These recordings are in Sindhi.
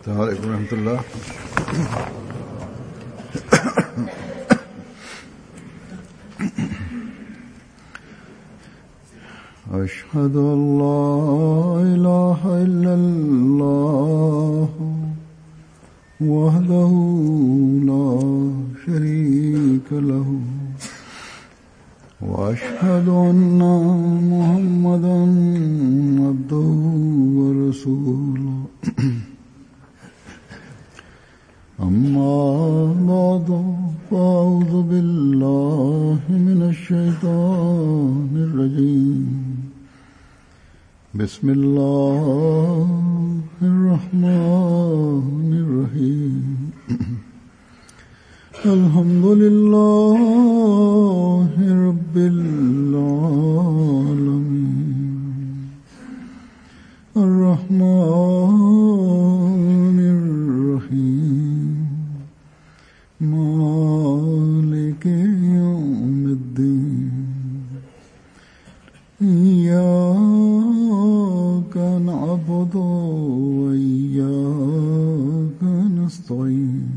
السلام عليڪم ورحمة الله. أشهد أن لا إله إلا الله وحده لا شريك له وأشهد أن محمدا عبده ورسوله. أما بعد، فأعوذ بالله من الشيطان الرجيم. بسم الله الرحمن الرحيم. الحمد لله رب العالمين، الرحمن الرحيم، مالك يوم الدين، إياك نعبد وإياك نستعين،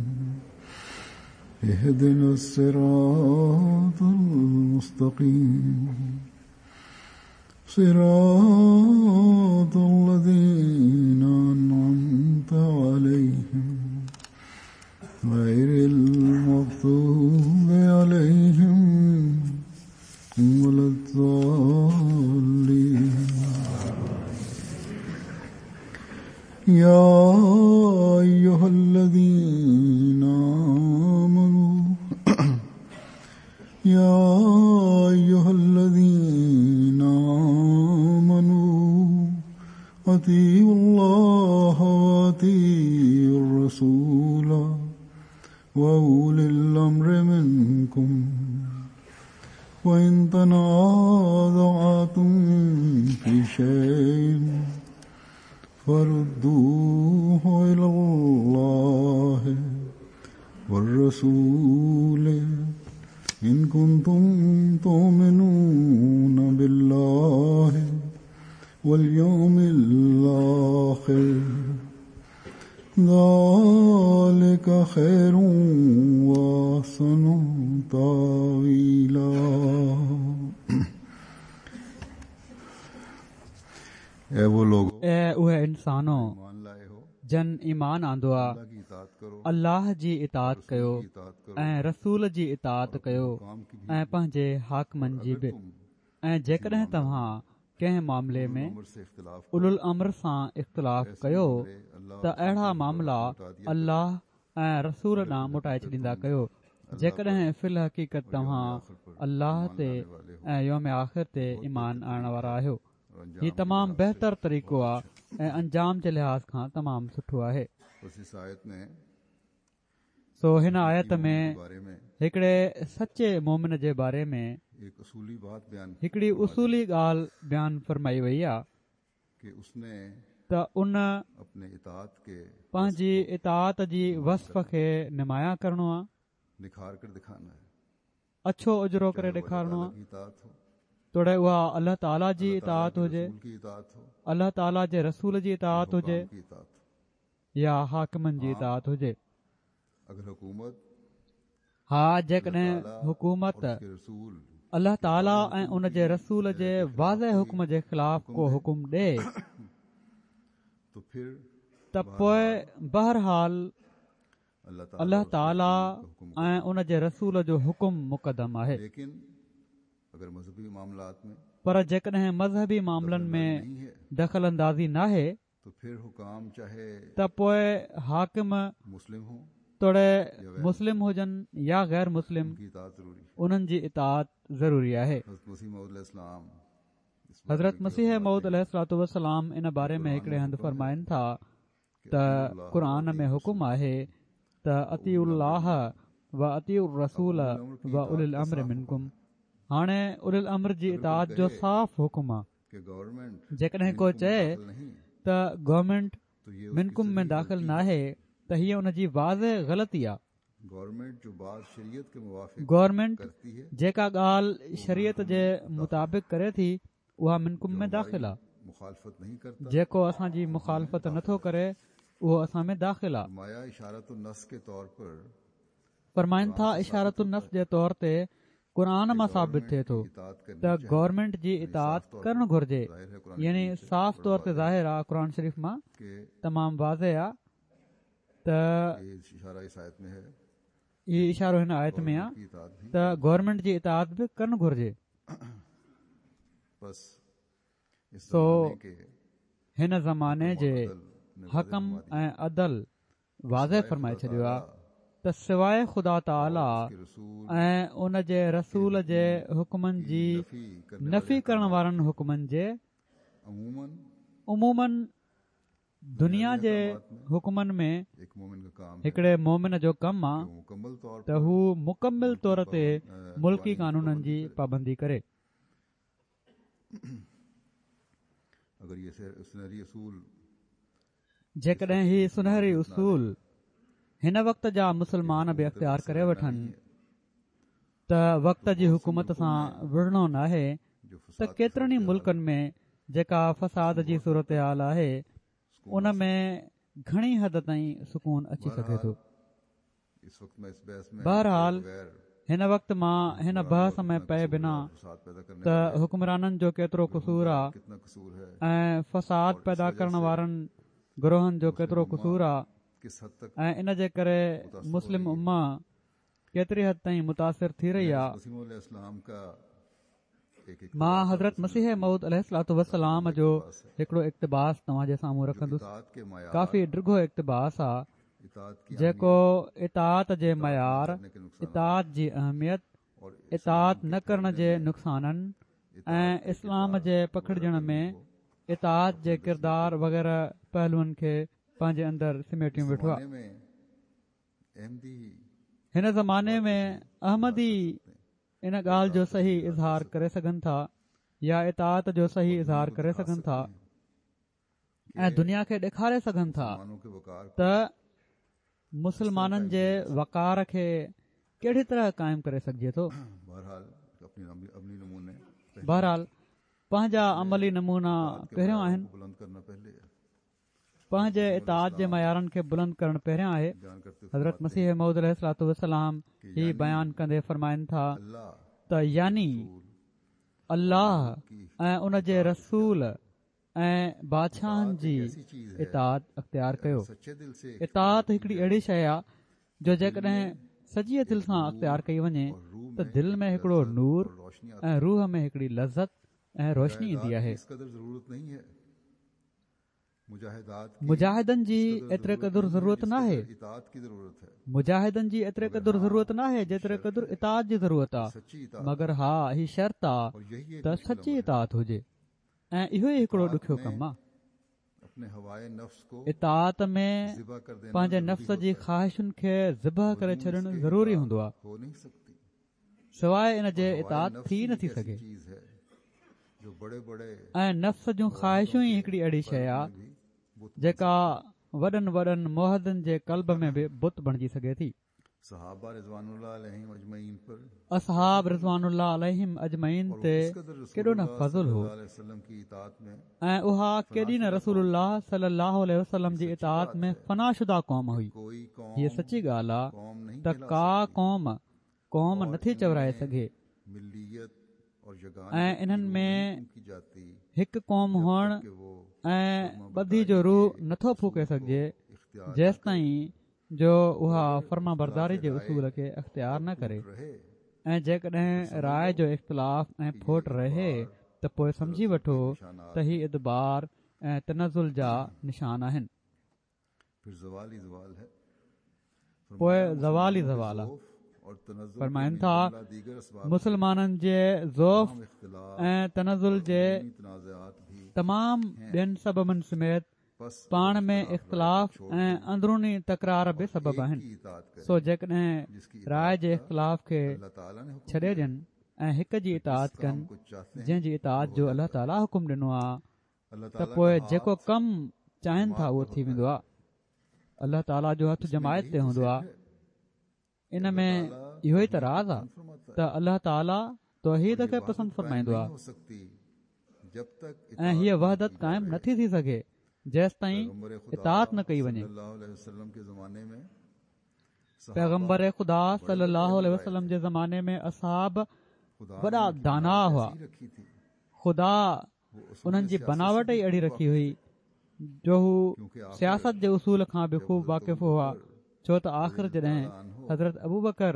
اهدنا الصراط المستقيم، صراط الذين أنعمت عليهم، غير المغضوب عليهم ولا الضالين. يا أيها الذين آمنوا يا أيها الذين آمنوا أطيعوا الله وأطيعوا الرسول وأولي الأمر منكم، وإن تنازعتم في شيء فردوه إلى الله والرسول إن كنتم تؤمنون بالله واليوم الآخر، ذلك خير وأحسن تأويلا. اي اهي انسانو جن ايمان آندو آ، الله جي اطاعت ڪيو ۽ رسول جي اطاعت ڪيو ۽ پنهنجي حاڪمن جي به، ۽ جيڪڏهن توهان ڪنهن معاملي ۾ اولوالامر سان اختلاف ڪيو ته اهڙا معاملا الله ۽ رسول ڏانهن موٽائي ڇڏيندا ڪيو، جيڪڏهن في الحقيقت توهان الله تي ۽ يوم آخر تي ايمان آڻڻ وارا آهيو. هي تمام بهتر طريقو آ ۽ انجام جي لحاظ کان تمام سٺو آهي. سو هن آيت ۾ هڪڙي سچي مؤمن جي باري ۾ هڪڙي اصولي ڳالهه بيان فرمائي وئي آ ته ان پنهنجي اطاعت جي وصف کي نمايان ڪرڻو آ. اڇو اجرو ڪري ڏيکارڻو آهي، توڙي اها الله تعاليٰ جي اطاعت هجي، الله تعاليٰ جي رسول جي اطاعت هجي يا حاڪمن جي اطاعت هجي. ها جيڪڏهن حڪومت الله تعاليٰ ۽ ان جي رسول جي واضح حڪم جي خلاف ڪو حڪم ڏئي ته پوء بهرحال الله تعاليٰ ۽ ان جي رسول جو حڪم مقدم آهي. پر جيڪڏهن مذهبي معاملن ۾ دخل اندازي ناهي ته پوء حاڪم توڙي مسلم هجن يا غير مسلم انهن جي اطاعت ضروري آهي. حضرت مسيح موعود عليه الصلوة والسلام ان باري ۾ هڪڙي هنڌ فرمائن ٿا ته قرآن ۾ حڪم آهي ته اطيعوا الله و اطيعوا الرسول و اولي الامر منڪم هاڻي اولي الامر جي اطاعت جو صاف حڪم آ جيڪڏهن ڪو چئي ته گورنمينٽ منڪم ۾ داخل ناهي ته هيء ان جي واضح غلطي آ گورنمينٽ جيڪا ڳالهه شريعت جي مطابق ڪري ٿي اها منڪم ۾ داخل آ. جيڪو اسان جي مخالفت نه ٿو ڪري اهو اسان ۾ داخل آ. فرمائن ٿا اشارة النص جي طور تي قرآن مان ثابت ٿئي ٿو ته گورنمينٽ جي اطاعت ڪرڻ گهرجي يعني صاف طور تي ظاهر آ قرآن شريف مان تمام واضح آ ته هي اشارو هن آيت ۾ آ ته گورنمينٽ جي اطاعت به ڪرڻ گهرجي. سو هن زماني جي حڪم ۽ عدل واضح فرمائي ڇڏيو آهي ته سواء خدا تعاليٰ ۽ ان جي رسول جي حڪمن جي نفي ڪرڻ وارن حڪمن جي عموماً دنيا جي حڪمن ۾ هڪڙي مومن جو ڪم آ ته هو مڪمل طور تي ملڪي قانونن جي پابندي ڪري. جيڪڏهن هي سنهري اصول هن وقت جا مسلمان به اختيار ڪري وٺن ته وقت جي حڪومت سان وڙهڻو ناهي ته ڪيترن ئي ملڪن ۾ جيڪا فساد جي صورتحال آهي ان ۾ گهڻي حد تائين سڪون اچي سگهي ٿو. بهرحال هن وقت مان هن بحث ۾ پئي بنا ته حڪمرانن جو ڪيترو قصور آ ۽ فساد پيدا ڪرڻ وارن گروهن جو ڪيترو قصور آ ۽ ان جي ڪري مسلم امه ڪيتري حد تائين متاثر ٿي رهي آ. مان حضرت مسيح موعود عليه الصلوة والسلام جو هڪڙو اقتباس توهان جي سامهون رکندس. ڪافي ڊگهو اقتباس آ، جيڪو اطاعت جي معيار، اطاعت جي اهميت، اطاعت نه ڪرڻ جي نقصانن ۽ اسلام جي پکڙجڻ ۾ اطاعت جي ڪردار وغيره پهلوئن کي پنهنجي اندر سميٽيون ويٺو آ. هن زماني ۾ احمدي ان ڳالهه جو صحيح اظهار ڪري سگهن ٿا يا اطاعت جو صحيح اظهار ڪري سگهن ٿا ۽ دنيا کي ڏيکاري سگهن ٿا ته مسلمانن جي وقار کي ڪهڙي طرح قائم ڪري سگهجي ٿو. بهرحال پنهنجا عملي نمونا پهريون آهن. پنهنجي اطاعت جي معيارن کي بلند ڪرڻ پهريان آهي. حضرت مسيح موعود عليه الصلوة والسلام هي بيان ڪندي فرمائن ٿا ته يعني الله ۽ ان جي رسول ۽ بادشاهن جي اطاعت اختيار ڪيو. اطاعت هڪڙي اهڙي شيء آهي جو جيڪڏهن سچيء دل سان اختيار ڪئي وڃي ته دل ۾ هڪڙو نور ۽ روح ۾ هڪڙي لذت ۽ روشني ايندي آهي. مجاهدن جي ايتري قدر ضرورت ناهي مجاهدن جي ايتري قدر ضرورت ناهي جيتري قدر اطاعت جي ضرورت آ مگر ها هي شرط آ ته سچي اطاعت هجي ۽ اهو ئي هڪڙو ڏکيو ڪم آ اطاعت ۾ پنهنجي نفس جي خواهشن کي ذبح ڪري ڇڏڻ ضروري هوندو آ سواء ان جي اطاعت ٿي نه ٿي سگهي ۽ نفس جون خواهشون ئي هڪڙي اهڙي شيء آ جيڪا وڏن وڏن موحدن جي قلب ۾ به بت بڻجي سگهي ٿي. اصحاب رضوان الله عليهم اجمعين تي ڪيڏو نه فضل هو ۽ اها ڪيڏي نه رسول الله صلي الله عليه وسلم جي اطاعت ۾ فنا شده قوم هئي. هيء سچي ڳالهه آ ته ڪا قوم قوم نٿي چورائي سگهي ۽ انهن ۾ هڪ قوم هئڻ ۽ ٻڌي جو روح نٿو ڦوڪي سگهجي جيستائين جو اها فرمانبرداري جي اصول کي اختيار نه ڪري ۽ جيڪڏهن راء جو اختلاف ۽ ڦوٽ رهي ته پوء سمجهي وٺو ته هي ادبار ۽ تنزل جا نشان آهن. پوء زوال ئي زوال آ. فرمائن ٿا، مسلمانن جي ضعف ۽ تنزل جي تمام ٻين سببن سميت پاڻ ۾ اختلاف ۽ اندروني تڪرار به سبب آهن. سو جيڪڏهن راء جي اختلاف کي ڇڏي ڏين ۽ هڪ جي اطاعت ڪن جنهن جي اطاعت جو الله تعاليٰ حڪم ڏنو آ ته پوء جيڪو ڪم چاهين ٿا اهو ٿي ويندو آهي الله تعاليٰ جو هٿ جماعت تي هوندو آهي ان ۾ اهو ئي ته راز آهي ته الله تعاليٰ توحيد کي پسند فرمائيندو آهي ۽ هيء وحدت قائم نٿي ٿي سگهي جيستائين اطاعت نه ڪئي وڃي. پيغمبر خدا صلي الله عليه وسلم جي زماني ۾ اصحاب وڏا داناء هئا. خدا انهن جي بناوٽ ئي اهڙي رکي هئي جو هو سياست جي اصول کان به خوب واقف هئا ڇو ته آخر جڏهن حضرت ابوبڪر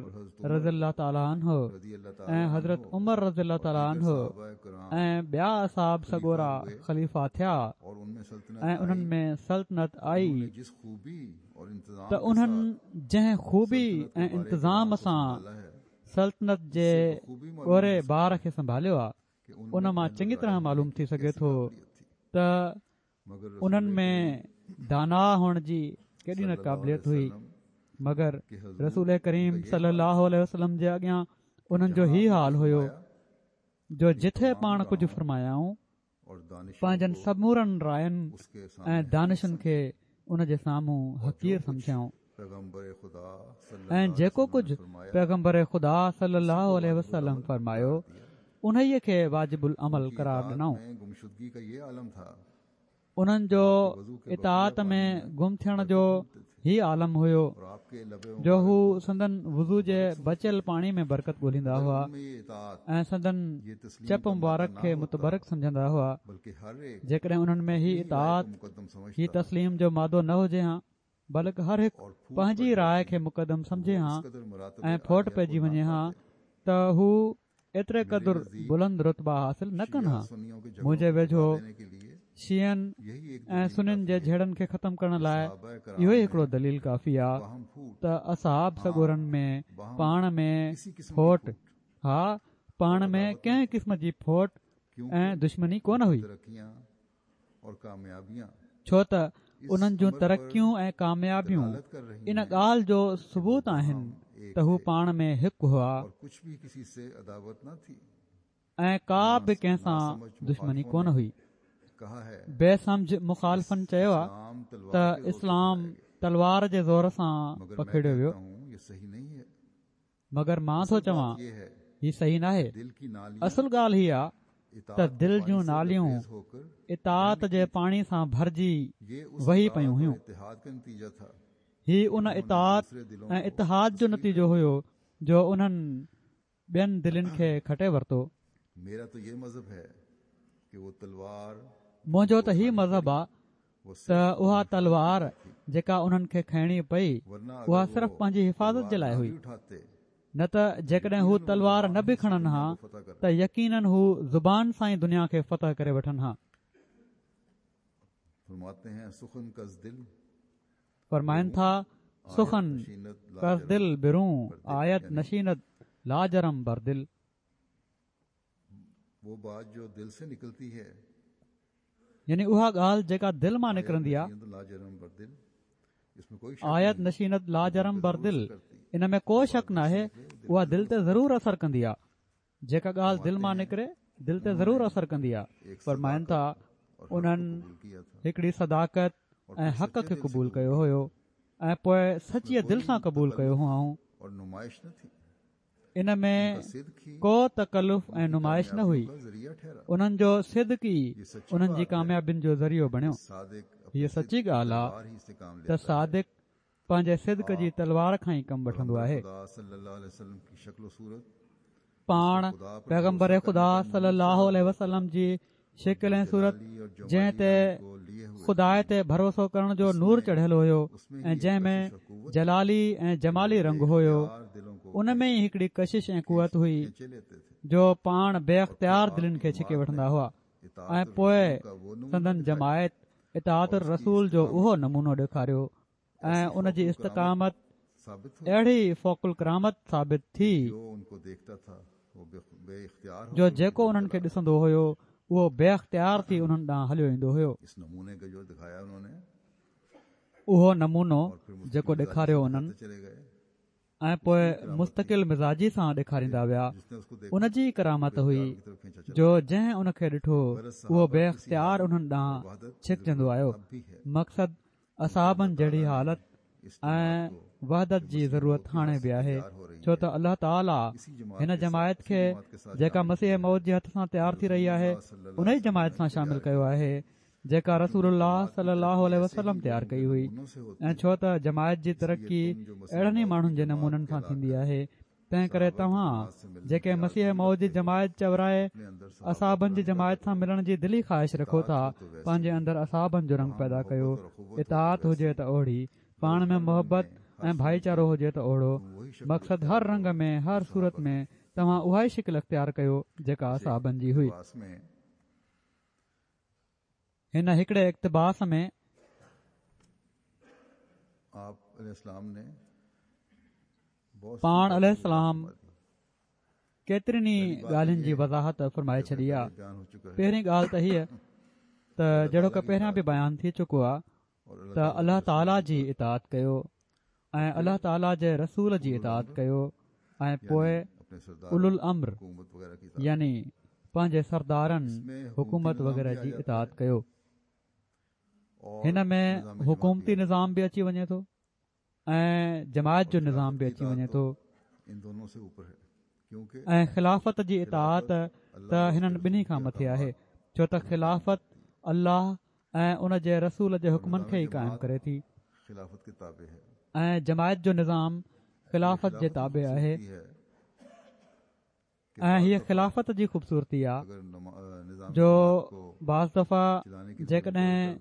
رضي الله تعالٰي عنه ۽ حضرت عمر رضي الله تعالٰي عنه ۽ ٻيا اصحاب سڳورا خليفا ٿيا ۽ انهن ۾ سلطنت آئي ته انهن جنهن خوبي ۽ انتظام سان سلطنت جي ڳوري بار کي سنڀاليو آ ان مان چڱي طرح معلوم ٿي سگهي ٿو ته انهن ۾ داناء هئڻ جي ڪيڏي نه قابليت هئي مگر رسول ڪريم صلي الله عليه وسلم جي اڳيان انهن جو هي حال هيو جو جٿي پاڻ ڪجهه فرمايائون پنهنجن سمورن راين ۽ دانشن کي ان جي سامهون حقير سمجهيائون ۽ جيڪو ڪجهه پيغمبر خدا صلي الله عليه وسلم فرمايو انهيء کي واجب العمل قرار ڏنائون. انهن جو اطاعت ۾ گم ٿيڻ جو هي عالم هيو جو هو سندن وضو جي بچيل پاڻي ۾ برڪت ڳولهيندا هئا ۽ سندن چپ مبارڪ کي متبرڪ سمجهندا هئا جيڪڏهن انهن ۾ هي اطاعت هي تسليم جو مادو نه هجي هان بلڪ هر هڪ پنهنجي راء کي مقدم سمجهي هان ۽ ڦوٽ پئجي وڃي هان ته هو ايتري قدر بلند رتبا حاصل نه ڪن هان. منهنجي ويجهو شيعن ۽ سنين جي جهيڙن کي ختم ڪرڻ لاء اهو ئي هڪڙو دليل ڪافي آ ته اصحاب سڳورن ۾ پاڻ ۾ ڦوٽ، ها پاڻ ۾ ڪنهن قسم جي ڦوٽ ۽ دشمني ڪونه هئي. ڇو ته انهن جون ترقيون ۽ ڪاميابيون ان ڳالهه جو ثبوت آهن ته هو پاڻ ۾ هڪ هئا ۽ ڪا به ڪنهن سان دشمني ڪونه هئي. بي سمجهه مخالفن چيو آ ته اسلام تلوار جي زور سان پکيڙيو ويو. مگر مان ٿو چوان هي صحيح ناهي. اصل ڳالهه هي آ ته دل جون ناليون اطاعت جي پاڻي سان ڀرجي وهي پيون هيون. هي ان اطاعت ۽ اتحاد جو نتيجو هيو جو انهن ٻين دلين کي کٽي ورتو. منهنجو ته هي مذهب آ ته اها تلوار جيڪا انهن کي کڻڻي پئي اها صرف پنهنجي حفاظت جي لاء هئي نه ته جيڪڏهن هو تلوار نه به کڻن ها ته يقينن هو زبان سان ئي دنيا کي فتح ڪري وٺن ها. فرمائن ٿا، سخن کز دل برون آيد نشيند لاجرم بر دل. يعني اها ڳالهه جيڪا دل مان نڪرندي آهي آيد نشيند لاجرم بر دل ان ۾ ڪو شڪ ناهي اها دل تي ضرور اثر ڪندي آهي جيڪا ڳالهه دل مان نڪري دل تي ضرور اثر ڪندي آهي فرمائن ٿا انهن هڪڙي صداقت ۽ حق کي قبول ڪيو هيو ۽ پوء سچيء دل سان قبول ڪيو هئائون ان ۾ ڪو تڪلف ۽ نمائش نه هئي. انهن جو صدق ئي انهن جي ڪاميابين جو ذريعو بڻيو. هيء سچي ڳالهه آ ته صادق پنهنجي صدق جي تلوار کان ئي ڪم وٺندو آهي. پاڻ پيغمبر خدا صلي الله عليه وسلم جي شڪل ۽ صورت جنهن تي خدا تي ڀروسو ڪرڻ جو نور چڙهيل هيو ۽ جنهن ۾ جلالي ۽ جمالي رنگ هيو ان ۾ ئي هڪڙي ڪشش ۽ قوت هئي جو پاڻ بي اختيار دلين کي ڇڪي وٺندا هئا ۽ پوء سندن جماعت اطاعت الرسول جو اهو نمونو ڏيکاريو ۽ ان جي استقامت اهڙي فوق الڪرامت ثابت ٿي جو جيڪو انهن کي ڏسندو هيو اهو بي اختيار ٿي انهن ڏانهن هليو ايندو هيو. اهو نمونو جيڪو ڏيکاريو انهن. ۽ پوء مستقل مزاجي سان ڏيکاريندا ويا ان جي ڪرامت هئي جو جنهن ان کي ڏٺو اهو بي اختيار انهن ڏانهن ڇڪجندو آيو مقصد اصحابن جهڙي حالت ۽ وحدت جي ضرورت هاڻي به آهي ڇو ته الله تعالي هن جماعت کي جيڪا مسيح موعود جي هٿ سان تيار ٿي رهي آهي ان ئي جماعت سان شامل ڪيو آهي. جيڪا رسول الله صلي الله عليه وسلم تيار ڪئي هئي ۽ ڇو ته جماعت جي ترقي اهڙن ئي ماڻهن جي نمونن سان ٿيندي آهي تنهن ڪري توهان جيڪي مسيح موعود جي جماعت چورائي اصحابن جي جماعت سان ملڻ جي دلي خواهش رکو ٿا پنهنجي اندر اصحابن جو رنگ پيدا ڪيو اطاعت هجي ته اوهڙي پاڻ ۾ محبت ۽ ڀائيچارو هجي ته اوهڙو مقصد هر رنگ ۾ هر صورت ۾ توهان اها ئي شڪل اختيار ڪيو جيڪا اصحابن جي هئي. هن هڪڙي اقتباس ۾. پاڻ عليه السلام ڪيترين ئي ڳالهين جي وضاحت فرمائي ڇڏي آ. پهرين ڳالهه ته هيء ته جهڙوڪ پهريان به بيان ٿي چڪو آ ته الله تعاليٰ جي اطاعت ڪيو ۽ الله تعاليٰ جي رسول جي اطاعت ڪيو ۽ پوء اولو الامر يعني پنهنجي سردارن حڪومت وغيره جي اطاعت ڪيو. هن ۾ حڪومتي نظام به اچي وڃي ٿو. ۽ جماعت جو نظام به اچي وڃي ٿو ۽ خلافت جي اطاعت ته هنن ٻنهي کان مٿي آهي ڇو ته خلافت الله ۽ ان جي رسول جي حڪمن کي ئي قائم ڪري ٿي ۽ جماعت جو نظام خلافت جي تابع آهي. ۽ هيء خلافت جي خوبصورتي آ جو بعض دفعا جيڪڏهن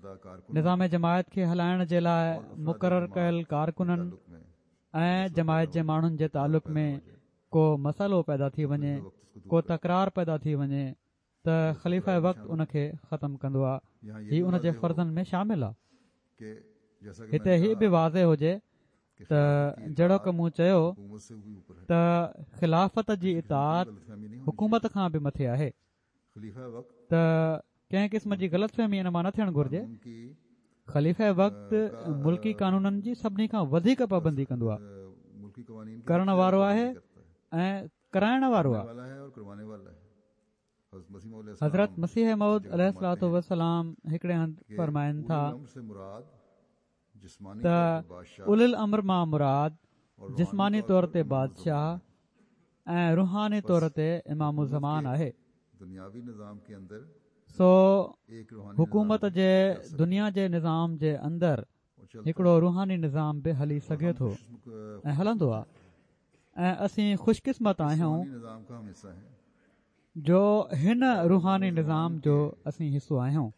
نظام جماعت کي هلائڻ جي لاء مقرر ڪيل ڪارڪنن ۽ جماعت جي ماڻهن جي تعلق ۾ ڪو مسئلو پيدا ٿي وڃي ڪو تڪرار پيدا ٿي وڃي ته خليفه وقت ان کي ختم ڪندو آ هي ان جي فرضن ۾ شامل آ هتي هي به واضح هجي ته جهڙوڪ مون چيو ته خلافت جي اطاعت حڪومت کان به مٿي آهي ته ڪنهن قسم جي غلط فهمي ان مان نه ٿيڻ گهرجي. خليفه وقت ملڪي قانونن جي سڀني کان وڌيڪ پابندي ڪندو آهي، ڪرڻ وارو آهي ۽ ڪرائڻ وارو آهي. حضرت مسيح موعود عليه الصلوة والسلام هڪڙي هنڌ فرمائن ٿا ته اولي الامر مان مراد جسماني طور تي بادشاهه ۽ روحاني طور تي امام الزمان آهي. سو حڪومت جي دنيا جي نظام جي اندر هڪڙو روحاني نظام به هلي سگهي ٿو ۽ هلندو آهي ۽ اسين خوش قسمت آهيون جو هن روحاني نظام جو اسين حصو آهيون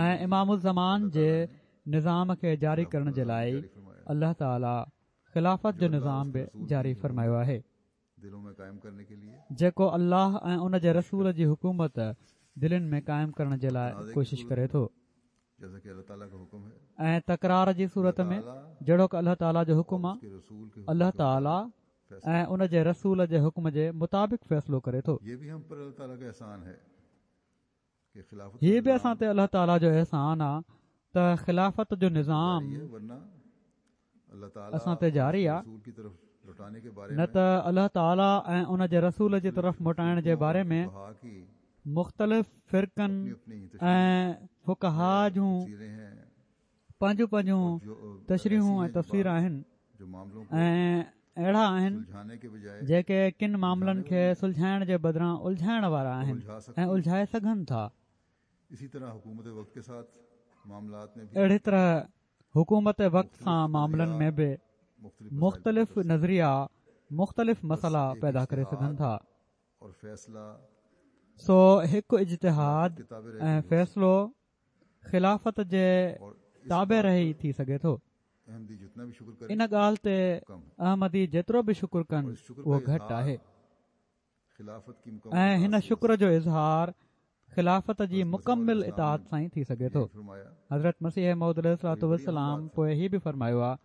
۽ امام الزمان جي نظام کي جاري ڪرڻ جي لاء الله تعالي خلافت جو نظام به جاري فرمايو آهي جيڪو الله ۽ ان جي رسول جي حڪومت دلين ۾ قائم ڪرڻ جي لاء ڪوشش ڪري ٿو ۽ تڪرار جي صورت ۾ جهڙوڪ الله تعاليٰ جو حڪم آ، الله تعاليٰ ۽ ان جي رسول جي حڪم جي مطابق فيصلو ڪري ٿو. هي به اسان تي الله تعاليٰ جو احسان آ ته خلافت جو نظام اسان تي جاري آ، نه ته الله تعاليٰ ۽ ان جي رسول جي طرف موٽائڻ جي باري ۾ مختلف فرقن ۽ فقها جون پنهنجون پنهنجون تشريحون ۽ تفسير آهن ۽ اهڙا آهن جيڪي ڪن معاملن کي سلجهائڻ جي بدران الجهائڻ وارا آهن ۽ الجهائي سگهن ٿا. اهڙي طرح حڪومت وقت سان معاملن ۾ به مختلف نظريا مختلف مسئلا پيدا ڪري سگهن ٿا. سو هڪ اجتهاد ۽ فيصلو خلافت جي تابع رهي ٿي سگهي ٿو. ان ڳالهه تي احمدي جيترو به شڪر ڪن اهو گهٽ آهي ۽ هن شڪر جو اظهار خلافت جي مڪمل اطاعت سان ئي ٿي سگهي ٿو. حضرت مسيح موعود عليه الصلوة والسلام پوء هي به فرمايو آهي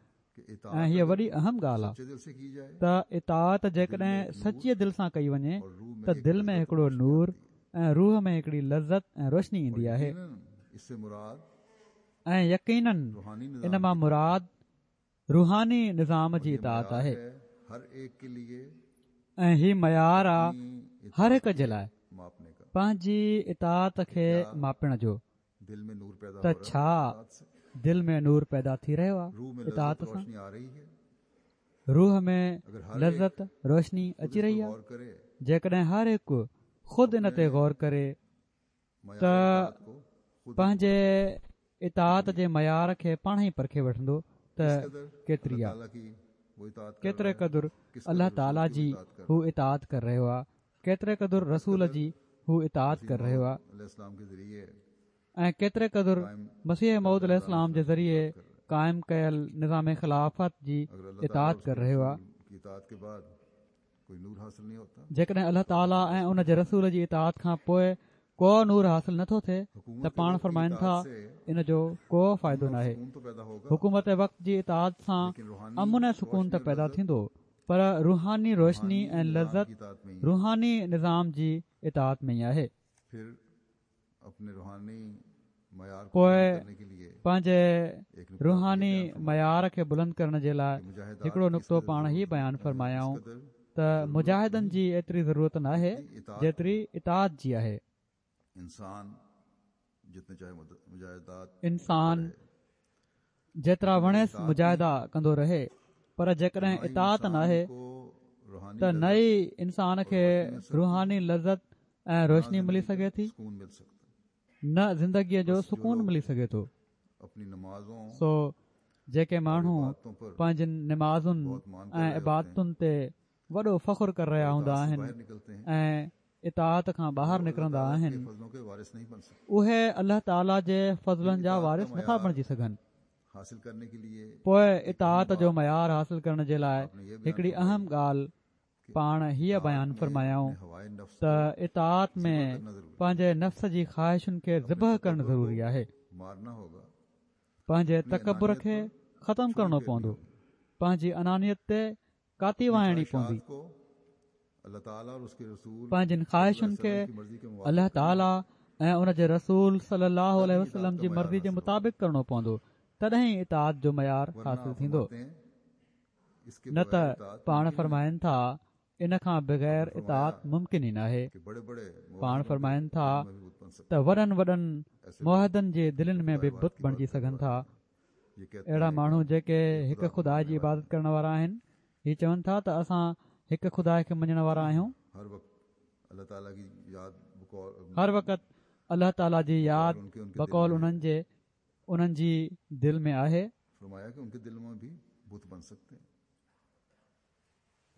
۽ هيء وڏي اهم ڳالهه آهي ته اطاعت جيڪڏهن سچيء دل سان ڪئي وڃي ته دل ۾ هڪڙو نور ۽ روح ۾ هڪڙي لذت ۽ روشني ايندي آهي ۽ يقيناً ان مان مراد روحاني نظام جي اطاعت آهي ۽ هي معيار آ هر هڪ جي لاء پنهنجي اطاعت کي ماپڻ جو ته ڇا دل ۾ نور پيدا ٿي رهيو آ اطاعت سان روح ۾ لذت روشني اچي رهي آ جيڪڏهن هر هڪ خود ان تي غور ڪري ته پنهنجي اطاعت جي معيار کي پاڻ ئي پرکي وٺندو ته ڪيتري آ. ڪيتري قدر الله تعاليٰ جي هو اطاعت ڪري رهيو آ، ڪيتري قدر رسول جي هو اطاعت ڪري رهيو آ ۽ ڪيتري قدر مسيح موعود عليه السلام جي ذريعي قائم ڪيل نظام خلافت جي اطاعت ڪري رهيو آ. جيڪڏهن الله تعاليٰ ۽ ان جي رسول جي اطاعت کان پوء ڪو نور حاصل نٿو ٿئي ته پاڻ فرمائن ٿا ان جو ڪو فائدو ناهي. حڪومت وقت جي اطاعت سان امن ۽ سڪون ته پيدا ٿيندو پر روحاني روشني ۽ لذت روحاني نظام جي اطاعت ۾ ئي آهي. پوء پنهنجي روحاني معيار کي بلند ڪرڻ جي لاء هڪڙو نڪتو پاڻ هي بيان فرمايائون ته مجاهدن جي ايتري ضرورت ناهي جيتري اطاعت جي آهي. انسان جيترا وڻيس مجاهدا ڪندو رهي پر جيڪڏهن اطاعت ناهي ته نه ئي انسان کي روحاني لذت ۽ روشني ملي سگهي ٿي نه زندگيء جو سڪون ملي سگهي ٿو. سو جيڪي ماڻهو پنهنجين نمازن ۽ عبادتن تي وڏو فخر ڪري رهيا هوندا آهن ۽ اطاعت کان ٻاهر نڪرندا آهن اهي الله تعالي جي فضلن جا وارث نٿا بڻجي سگهن. پوء اطاعت جو معيار حاصل ڪرڻ جي لاء هڪڙي اهم ڳالهه پاڻ هيء بيان فرمايائون ته اطاعت ۾ پنهنجي نفس جي خواهشن کي ذبح ڪرڻ ضروري آهي. پنهنجي تڪبر کي ختم ڪرڻو پوندو. پنهنجي انانيت تي ڪاتي وهائڻي پوندي. پنهنجين خواهشن کي الله تعاليٰ ۽ ان جي رسول صلي الله عليه وسلم جي مرضي جي مطابق ڪرڻو پوندو تڏهن ئي اطاعت جو معيار حاصل ٿيندو نه ته پاڻ فرمائن ٿا ان کان بغير اطاعت ممڪن ئي ناهي پاڻ فرمائن ٿا ته وڏن وڏن موحدن جي دلين ۾ به بت بڻجي سگهن ٿا اهڙا ماڻهو جيڪي هڪ خدا جي عبادت ڪرڻ وارا آهن، هي چون ٿا ته اسان هڪ خدا کي مڃڻ وارا آهيون. هر وقت الله تعاليٰ جي ياد بقول انهن جي انهن جي دل ۾ آهي.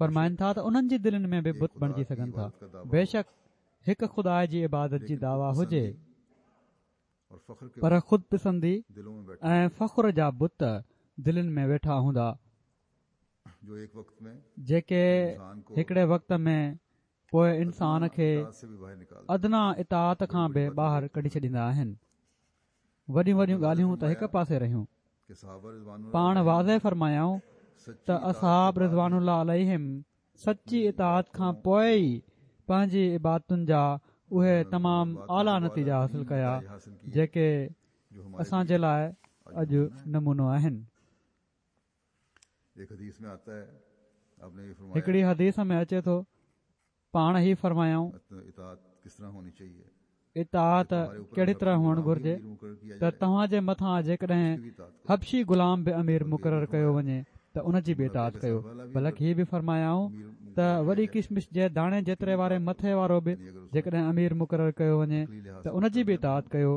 فرمائن ٿا ته انهن جي دلين ۾ به بت بڻجي سگهن ٿا. بيشڪ هڪ خدا جي عبادت جي دعويٰ هجي. پر خود پسندي ۽ فخر جا بت دلين ۾ ويٺا هوندا، جيڪي هڪڙي وقت ۾ پوء انسان کي ادنيٰ اطاعت کان به ٻاهر ڪڍي ڇڏيندا آهن. وڏيون وڏيون ڳالهيون ته هڪ پاسي رهيون. پاڻ واضح فرمايائون ته اصحاب رضوان الله عليهم سچي اطاعت کان پوء ئي پنهنجي عبادتن جا اهي تمام اعليٰ نتيجا حاصل ڪيا جيڪي اسان جي لاء اڄ نمونو آهن. هڪڙي حديث ۾ اچي ٿو پاڻ هي فرمايائون، اطاعت ڪهڙي طرح هئڻ گهرجي ته توهان جي مٿان جيڪڏهن حبشي غلام به امير مقرر ڪيو وڃي ته ان جي به اطاعت ڪيو بلڪ هي به فرمايائون ته وڏي ڪشمش جي داڻي جيتري واري مٿي وارو به جيڪڏهن امير مقرر ڪيو وڃي ته ان جي به اطاعت ڪيو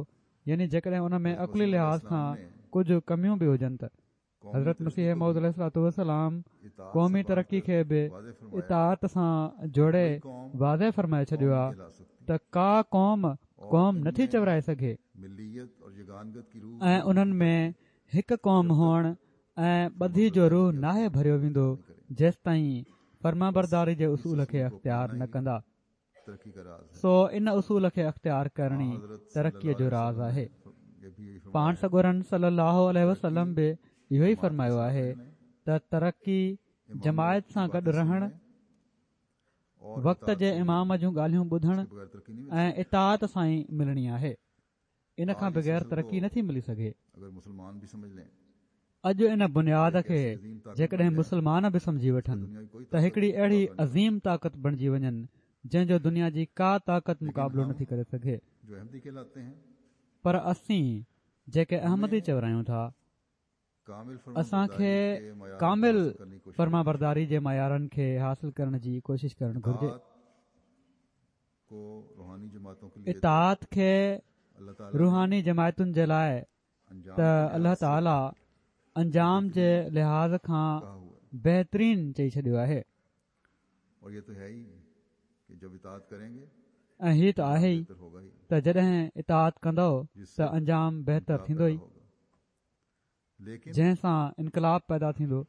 يعني جيڪڏهن ان ۾ عقلي لحاظ کان ڪجهه ڪميون به هجن ته حضرت مسيح موعود عليه الصلوة والسلام قومي ترقي کي به اطاعت سان جوڙي واضح فرمائي ڇڏيو آهي ته ڪا قوم قوم نٿي چورائي سگهي ۽ انهن ۾ هڪ قوم هئڻ ۽ ٻڌي جو روح ناهي ڀريو ويندو جيستائين فرمانبرداري جي اصول کي اختيار نه ڪندا. سو ان اصول کي اختيار ڪرڻ ئي ترقيء جو راز آهي. پاڻ سڳورن صلي الله عليه وسلم به اهو ئي فرمايو آهي ته ترقي جماعت سان گڏ رهڻ، وقت جي امام جون ڳالهيون ٻڌڻ ۽ اطاعت سان ئي ملڻي آهي. ان کان بغير ترقي نٿي ملي سگهي. اڄ ان بنياد کي جيڪڏهن مسلمان به سمجهي وٺن ته هڪڙي اهڙي عظيم طاقت بڻجي وڃن جنهن جو دنيا جي ڪا طاقت مقابلو نٿي ڪري سگهي. پر اسين جيڪي احمدي چورايون ٿا اسان کي ڪامل فرمانبرداري جي معيارن کي حاصل ڪرڻ جي ڪوشش ڪرڻ گهرجي. اطاعت کي روحاني جماعتن جي لاء ته الله تعاليٰ انجام جي لحاظ کان بهترين چئي ڇڏيو آهي. ۽ هي ته آهي ئي ته جڏهن اطاعت ڪندؤ ته انجام بهتر ٿيندو ئي. جنهن سان انقلاب پيدا ٿيندو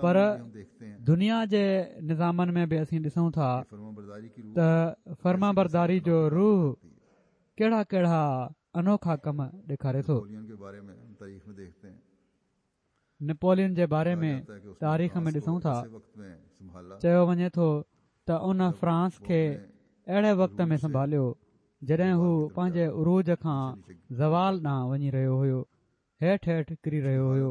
پر دنيا جي نظامن ۾ به اسين ڏسون ٿا ته فرمانبرداري جو روح ڪهڙا ڪهڙا انوکا ڪم ڏيکاري ٿو. نپولين جي باري ۾ تاريخ ۾ ڏسون ٿا چيو وڃي ٿو ته ان فرانس کي اهڙي وقت ۾ سنڀاليو جڏهن هو پنهنجي عروج کان زوال ڏانهن وڃي رهيو هيو هيٺ هيٺ ڪري رهيو هيو.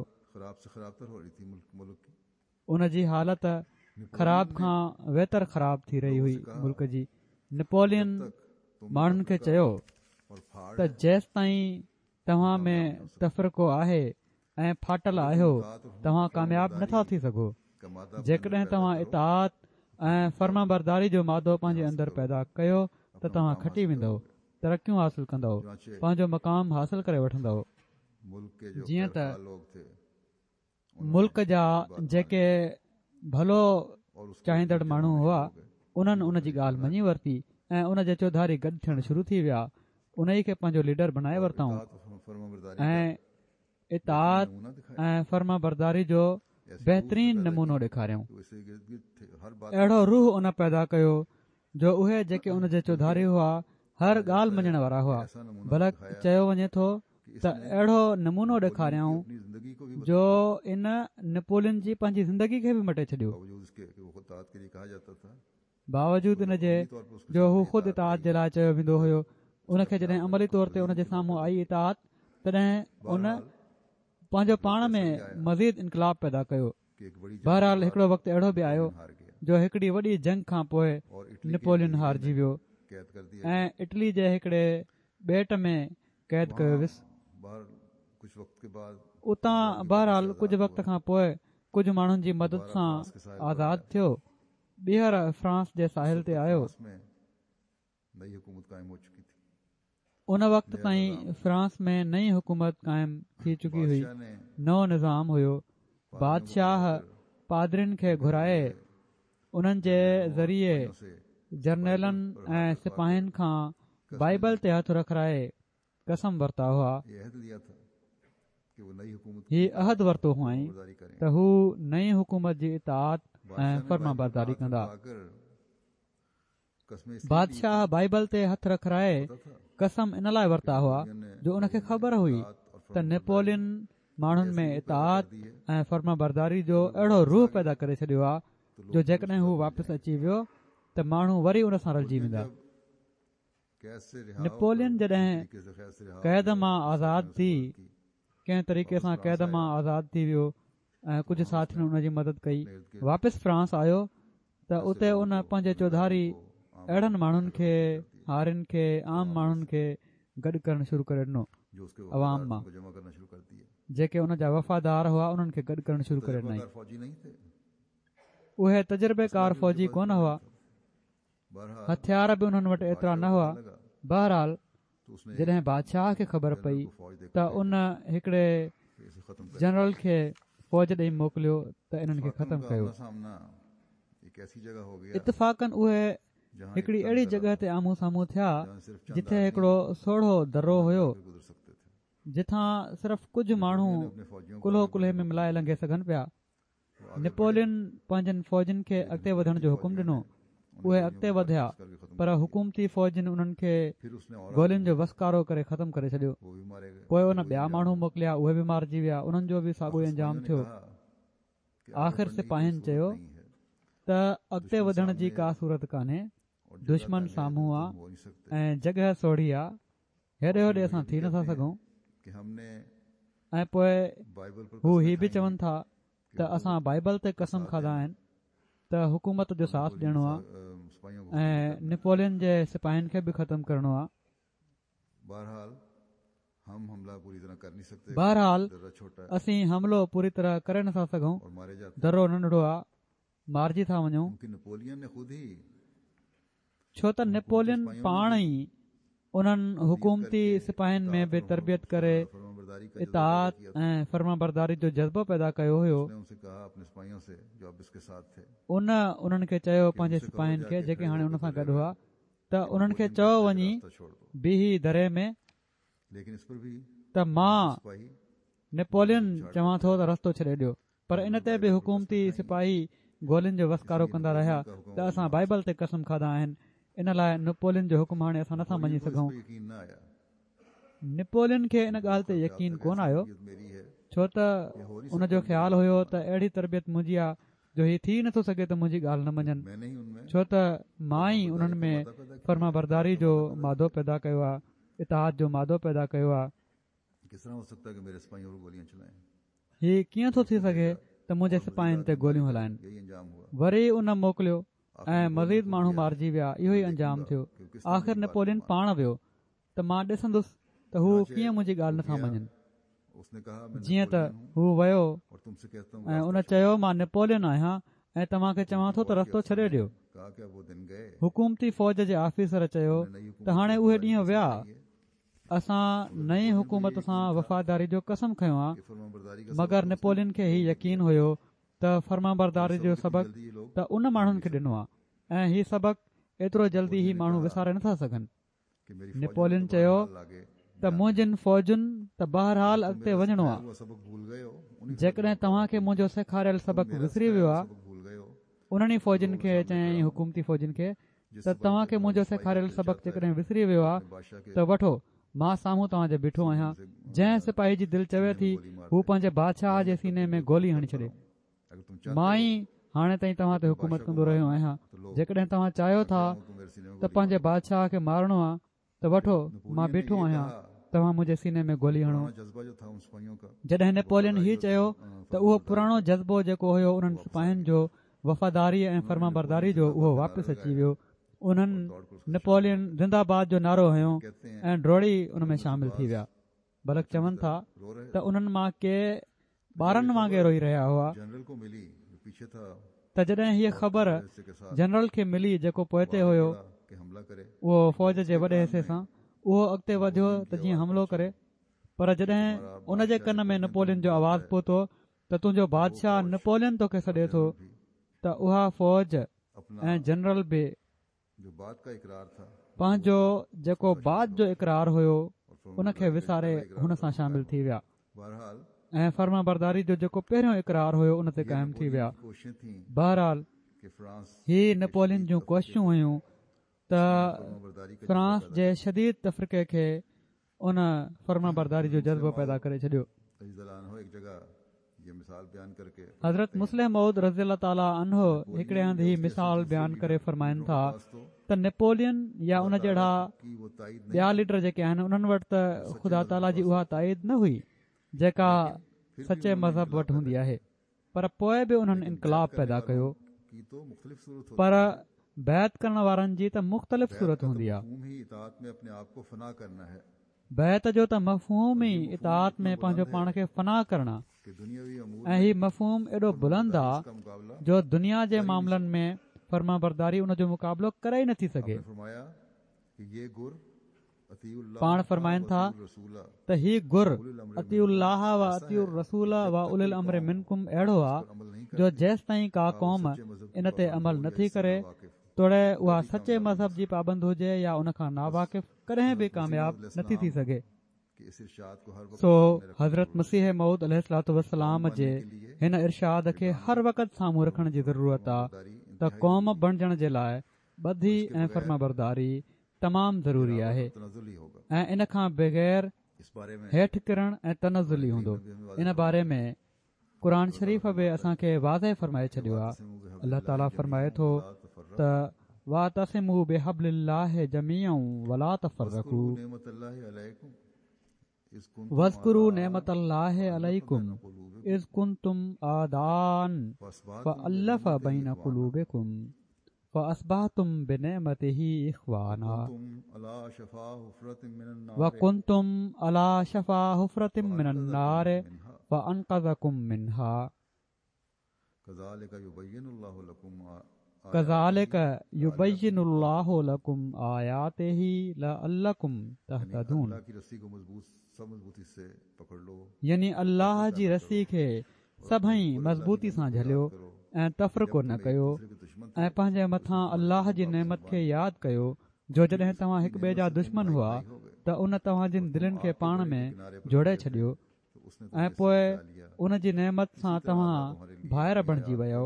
ان جي حالت خراب کان ويتر خراب ٿي رهي هئي ملڪ جي. نپولين ماڻهن کي چيو ته جيستائين توهان ۾ تفرقو آهي ۽ ڦاٽل آهيو توهان ڪامياب نه ٿا ٿي سگهو. جيڪڏهن توهان اطاعت ۽ فرمانبرداري جو مادو پنهنجي اندر پيدا ڪيو ته توهان کٽي ويندؤ، ترقيون حاصل ڪندؤ، پنهنجو مقام حاصل ڪري وٺندؤ. جيئن ته ملڪ جا جيڪي ڀلو چاهيندڙ ماڻهو هئا انهن ان جي ڳالهه مڃي ورتي ۽ ان جي چوڌاري گڏ ٿيڻ شروع ٿي ويا انهي کي پنهنجو ليڊر بنائي ورتائون ۽ اطاعت ۽ فرمانبرداري جو بهترين نمونو ڏيکاريائون اهڙو روح ان پيدا ڪيو جو اهي جيڪي ان جي چوڌاري هئا هر ڳالهه مڃڻ وارا هئا بلڪ چيو وڃي ٿو ته اهڙو نمونو ڏيکاريائون جو ان نپولين جي پنهنجي زندگي کي به مٽي ڇڏيو. باوجود ان جي جو هو خود اطاعت جي لاء چيو ويندو هيو ان کي جڏهن عملي طور تي ان جي سامهون آئي اطاعت تڏهن ان پنهنجو پاڻ ۾ مزيد انقلاب پيدا ڪيو. بهرحال هڪڙو وقت اهڙو به آيو جو هڪڙي وڏي جنگ کان پوء نپولين هارجي ويو ۽ اٽلي جي هڪڙي ٻيٽ ۾ قيد ڪيو ويس. اتان بهرحال ڪجهه وقت کان پوء ڪجهه ماڻهن جي مدد سان آزاد ٿيو ٻيهر فرانس جي ساحل تي آيو. ان وقت تائين فرانس ۾ نئين حڪومت قائم ٿي چڪي هئي، نئون نظام هيو، بادشاهه پادرين کي گهرائي انهن جي ذريعي جرنيلن ۽ سپاهين کان بائيبل تي هٿ رکرائي قسم ورتا هئا. هي عهد ورتو هئائين ته هو نئين حڪومت جي اطاعت ۽ فرمانبرداري ڪندا. بادشاهه بائيبل تي هٿ رکرائي قسم ان لاء ورتا هئا جو ان کي خبر هئي ته نيپولين ماڻهن ۾ اطاعت ۽ فرمانبرداري جو اهڙو روح پيدا ڪري ڇڏيو آهي جو جيڪڏهن هو واپس اچي ويو ته ماڻهو وري ان سان رلجي ويندا. نپولين جڏهن قيد مان آزاد ٿي ڪنهن طريقي سان قيد مان آزاد ٿي ويو ۽ ڪجهه ساٿين ان جي مدد ڪئي واپس فرانس آيو ته اتي ان پنهنجي چوڌاري اهڙن ماڻهن کي هارين کي عام ماڻهن کي گڏ ڪرڻ شروع ڪري ڏنو عوام مان جيڪي ان جا وفادار هئا انهن کي گڏ ڪرڻ شروع ڪري ڏنائين اهي تجربيڪار فوجي ڪونه هئا هٿيار به انهن وٽ ايترا نه هئا. بهرحال جڏهن بادشاهه کي خبر پئي ته ان هڪڙي جنرل کي فوج ڏئي موڪليو ته انهن کي ختم ڪيو. اتفاقاً اهي هڪڙي اهڙي جڳهه تي آمهون سامهون ٿيا جتي هڪڙو سوڙهو درو هيو جتان صرف ڪجهه ماڻهو ڪلهو ڪلهي ۾ ملائي لنگهي سگهن پيا. نپولين پنهنجن فوجن کي اڳتي وڌڻ جو حڪم ڏنو. اهي اڳتي وڌيا پر حڪومتي فوجن انهن کي گولين جو وسڪارو ڪري ختم ڪري ڇڏيو. پوء ان ٻيا ماڻهو موڪليا اهي به مارجي ويا انهن جو به ساڳيو انجام ٿيو. آخر سپاهين چيو ته اڳتي وڌڻ جي ڪا صورت ڪانهي دشمن سامهون آ ۽ جڳهه سوڙهي آ هيڏي هوڏي اسان ٿي نٿا سگهون ۽ پوء هو هي به چون ٿا ته اسان بائبل تي قسم کاڌا آهن ته حڪومت جو ساٿ ڏيڻو آ ۽ نپولين جي سپاهين کي به ختم ڪرڻو آ بهرحال اسين حملو پوري طرح ڪري نٿا سگهون درو ننڍڙو آ مارجي ٿا وڃون ڇو ته نپولين پاڻ ئي انهن حڪومتي سپاهين ۾ به تربيت ڪري اطاعت ۽ فرمانبرداري جو جذبو پيدا ڪيو هيو. ان انهن کي چيو پنهنجي سپاهين کي جيڪي هاڻي ان سان گڏ هئا ته انهن کي چئو وڃي بيهي دري ۾ ته مان نيپولين چوان ٿو ته رستو ڇڏي ڏيو. پر ان تي به حڪومتي سپاهي گولين جو وسڪارو ڪندا رهيا ته اسان بائيبل تي قسم کاڌا آهن ان لاء نپولين جو حڪم هاڻي اسان نٿا مڃي سگهون. نپولين کي ان ڳالهه تي يقين ڪونه آيو ڇو ته ان جو خيال هيو ته اهڙي تربيت منهنجي آ جو هي ٿي نٿو سگهي ته منهنجي ڳالهه نه مڃن ڇو ته مان ئي انهن ۾ فرمانبرداري جو مادو پيدا ڪيو آ اطاعت جو مادو پيدا ڪيو آ. هي ڪيئن ٿو ٿي سگهي ته منهنجي سپاهين تي گوليون هلائن؟ وري ان موڪليو ۽ مزيد ماڻهو مارجي ويا، اهو ئي انجام ٿيو. آخر نپولين پاڻ ويو ته مان ڏسندس ته هو ڪيئن منهنجي ڳالهه نٿا مڃن. جيئن ته هو ويو ۽ ان چيو مان نپولين آهيان ۽ توهان کي چوان ٿو ته رستو ڇڏي ڏيو. حڪومتي فوج جي آفيسر چيو ته هاڻي اهي ڏينهن ويا. اسان نئين حڪومت سان وفاداري جو قسم کنيو آ مگر نپولين کي هي يقين هيو ته فرمانبرداري جو سبق ته ان ماڻهن کي ڏنو آ ۽ هي سبق ايترو جلدي هي ماڻهو وساري نٿا سگهن. نپولين چيو ته منهنجين فوجن ته بهرحال اڳتي وڃڻو آ جيڪڏهن توهان کي منهنجو سيکاريل سبق وسري ويو آ انهن ئي فوجين کي چيائين حڪومتي فوجين کي ته توهان کي منهنجو سيکاريل سبق جيڪڏهن وسري ويو آهي ته وٺو مان سامهون توهان جي بيٺو آهيان جنهن سپاهي جي دل چوي ٿي هو پنهنجي بادشاهه جي سيني ۾ گولي هڻي ڇڏي مان ئي هاڻي تائين توهان تي حڪومت ڪندو رهيو آهيان جيڪڏهن توهان چاهيو ٿا ته پنهنجي بادشاهه کي مارڻو آهي ته وٺو، مان بيٺو آهيان، توهان منهنجي سيني ۾ گولي هڻو. جڏهن نيپولين هي چيو ته اهو پراڻو جذبو جيڪو هيو انهن سپاهين جو وفاداري ۽ فرمانبرداري جو اهو واپس اچي ويو. انهن نيپولين زنده باد جو نعرو هنيو ۽ ڊوڙي ان ۾ شامل ٿي ويا. بلڪ چون ٿا ته انهن مان ڪي ٻارن وانگي روئي رهيا هئا ته جڏهن هيء خبر جنرل کي ملي جيڪو پوئتي هيو اهو فوج جي وڏي حصي سان اهو اڳتي وڌيو ته جيئن حملو ڪري پر جڏهن ان جي ڪن ۾ نپولين جو آواز پهتو ته تنهنجو بادشاهه نپولين توکي سڏي ٿو ته اها فوج ۽ جنرل به پنهنجو جيڪو بعد جو اقرار هيو ان کي وساري هن سان شامل ٿي ويا ۽ فرمانبرداري جو جيڪو پهريون اقرار هيو ان تي قائم ٿي ويا. بهرحال هي نپولين جون ڪوششون هيون ته فرانس جي شديد تفرقي کي ان فرمانبرداري جو جذبو پيدا ڪري ڇڏيو. حضرت مصلح موعود رضي الله تعالٰي عنه هڪڙي هنڌ هي مثال بيان ڪري فرمائن ٿا ته نيپولين يا ان جهڙا ٻيا ليڊر جيڪي آهن انهن وٽ ته خدا تعاليٰ جي اها تائيد نه هئي جيڪا سچي مذهب وٽ هوندي آهي پر پوء به انهن انقلاب پيدا ڪيو پر بيعت ڪرڻ وارن جي ته مختلف صورت هوندي آهي. بيعت جو ته مفهوم ئي اطاعت ۾ پنهنجو پاڻ کي فنا ڪرڻ آ ۽ هي مفهوم ايڏو بلند آ جو دنيا جي معاملن ۾ فرمانبرداري ان جو مقابلو ڪري ئي نٿي سگهي. پاڻ فرمائن ٿا ته هي گر اطيعوا الله و اطيعوا الرسول و اولي الامر منڪم اهڙو آ جو جيستائين ڪا قوم ان تي عمل نٿي ڪري توڙي اها سچي مذهب جي پابند هجي يا ان کان ناواقف ڪڏهن به ڪامياب نٿي ٿي سگهي. سو حضرت مسيح موعود عليه الصلوة والسلام جي هن ارشاد کي هر وقت سامهون رکڻ جي ضرورت آ ته قوم بڻجڻ جي لاء ٻڌي ۽ فرمانبرداري تمام ضروري آهي ۽ ان کان بغير هيٺ ڪرڻ ۽ تنزل ئي هوندو ان باري ۾ قرآن شريف به اسان کي واضح فرمائي ڇڏيو آهي الله تعالي فرمائي ٿو ته واعتصموا بحبل الله جميعا ولا تفرقوا واذڪروا نعمت الله عليڪم اذ ڪنتم اعداء فالف بين قلوبڪم فاصبحتم بنعمته اخوانا وڪنتم علي شفا حفرة من النار فانقذڪم منها. ڪذالک يبين الله لڪم ڪذالڪ يبين الله لڪم آياته لعلڪم تهتدون يعني الله جي رسي کي سڀئي مضبوطي سان جهليو ۽ تفرقو نه ڪيو ۽ پنهنجي مٿان الله جي نعمت کي ياد ڪيو جو جڏهن توهان هڪ ٻئي جا دشمن هئا ته ان توهان جن دلين کي پاڻ ۾ جوڙي ڇڏيو ۽ پوء ان جي نعمت سان توهان ڀائر بڻجي ويؤ